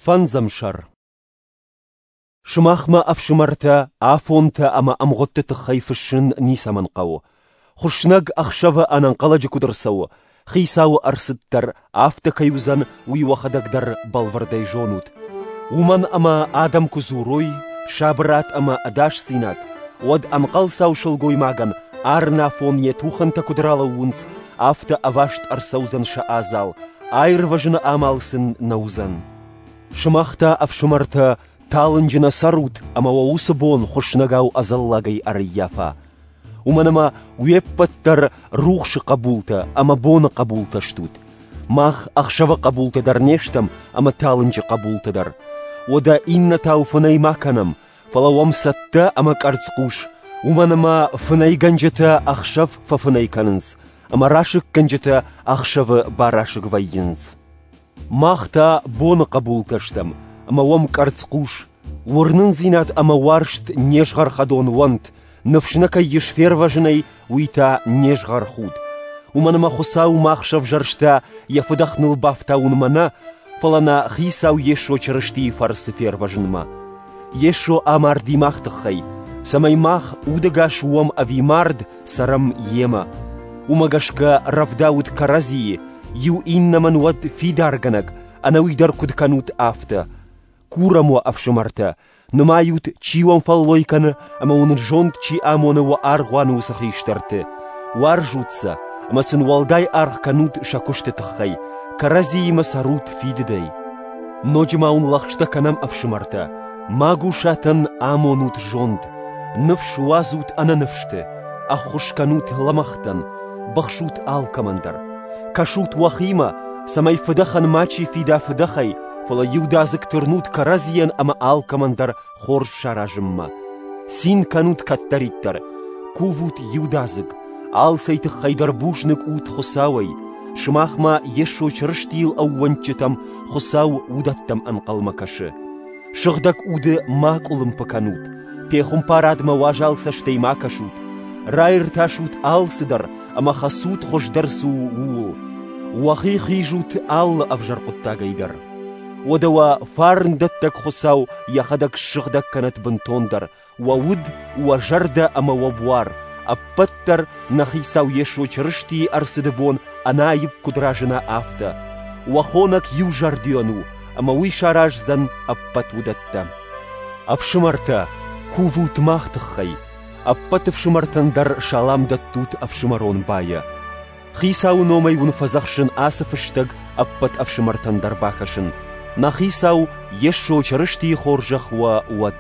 Фӕндзӕм сӕр. Сымахмӕ, ӕфсымӕртӕ, афонтӕ ӕмӕ ӕмгъуыдты тыххӕй фыссын ницӕмӕн хъӕуы. Хуыснӕг ӕхсӕвы ӕнӕнхъӕлӕджы куыд ӕрцӕуы, Хицауы ӕрцыд дӕр афтӕ кӕй уыдзӕн, уый уӕхӕдӕг дӕр бӕлвырдӕй зонут. Уымӕн ӕмӕ адӕм куы дзурой сабырад ӕмӕ ӕдасдзинад, уӕд ӕнхъӕлцау сылгоймагӕн арынафон йӕ тухӕнтӕ куыд ралӕууынц, афтӕ ӕваст ӕрцӕудзӕн сӕ адзал, аирвӕзыны амал сын нӕ уыдзӕн. Сымах та, ӕфсымӕртӕ, талынджы нӕ цӕрут ӕмӕ уӕ уыцы бон хуыснӕгау ӕдзӕллагӕй ӕрӕййафа. Уымӕн ӕмӕ уе ппӕт дӕр рухсы хъӕбултӕ ӕмӕ боны хъӕбултӕ стут. Мах ӕхсӕвы хъӕбултӕ дӕр не стӕм ӕмӕ талынджы хъӕбултӕ дӕр. Уӕдӕ иннӕтау фынӕй ма кӕнӕм, фӕлӕ уӕм цӕттӕ ӕмӕ къӕрцхъус, уымӕн ӕмӕ фынӕйгӕнджытӕ ӕхсӕв фӕфынӕй кӕнынц, ӕмӕ расыггӕнджытӕ ӕхсӕвы барасыг вӕййынц. Мах та боны хъӕбултӕ стӕм, ӕмӕ уӕм къӕрцхъус, уырнындзинад ӕмӕ уарзт не згъӕрхӕдон уӕнт, ныфс нӕ кӕй ис фервӕзынӕй, уый та не згъӕрхуд. Уымӕн ӕмӕ Хуыцау мах сӕвзӕрста йӕ фыдӕх ныл бафтауынмӕ нӕ, фӕлӕ нӕ Хицау Йесо Чырыстийы фӕрцы фервӕзынмӕ. Йесо амарди мах тыххӕй, цӕмӕй мах удӕгас уӕм ӕви мард, цӕрӕм Йемӕ. Уымӕ гӕсгӕ рӕвдаут кӕрӕдзийы, иу иннӕмӕн уӕд фидаргӕнӕг, ӕнӕуый дӕр куыд кӕнут, афтӕ. Курӕм уӕ, ӕфсымӕртӕ, нымайут, чи уӕм фӕллой кӕны ӕмӕ уын зонд чи амоны уӕ аргъуаны уыцы хистӕрты. Уарзут сӕ ӕмӕ сын уӕлдай аргъ кӕнут сӕ куысты тыххӕй, кӕрӕдзиимӕ цӕрут фидыдӕй. Ноджы ма уын лӕгъстӕ кӕнӕм, ӕфсымӕртӕ, магусатӕн амонут зонд, ныфс уадзут ӕнӕныфсты, ӕххуыс кӕнут лӕмӕгътӕн, быхсут алкӕмӕн дӕр. Кӕсут уӕхимӕ, цӕмӕй фыдӕхӕн мачи фида фыдӕхӕй, фӕлӕ иудадзыг тырнут кӕрӕдзийӕн ӕмӕ алкӕмӕн дӕр хорз саразынмӕ. Цин кӕнут кӕддӕриддӕр, кувут иудадзыг, алцӕй тыххӕй дӕр бузныг ут Хуыцауӕй, сымахмӕ Йесо Чырыстийыл ӕууӕндджытӕм Хуыцау уыдӕттӕм ӕнхъӕлмӕ кӕсы. Сыгъдӕг уды ма къуылымпы кӕнут, пехуымпарадмӕ уазал цӕстӕй ма кӕсут, раиртасут алцыдӕр ӕмӕ хӕцут хуыздӕр цы у, ууыл. Уӕхи хизут алы ӕвзӕр хъуыддагӕй дӕр. Уӕдӕ уӕ фарндӕттӕг Хуыцау йӕхӕдӕг ссыгъдӕг кӕнӕт бынтондӕр, уӕ уд, уӕ зӕрдӕ ӕмӕ уӕ буар, ӕппӕт дӕр нӕ Хицау Йесо Чырыстийы ӕрцыды бон ӕнаипп куыд разына, афтӕ. Уӕ хонӕг иузӕрдион у, ӕмӕ уый сараздзӕн ӕппӕт уыдӕттӕ. Ӕфсымӕртӕ, кувут мах тыххӕй. Ӕппӕт ӕфсымӕртӕн дӕр салам дӕттут ӕфсымӕрон байӕ. Хицауы номӕй уын фӕдзӕхсын ацы фыстӕг ӕппӕт ӕфсымӕртӕн дӕр бакӕсын. Нӕ Хицау Йесо Чырыстийы хорзӕх уӕ уӕд.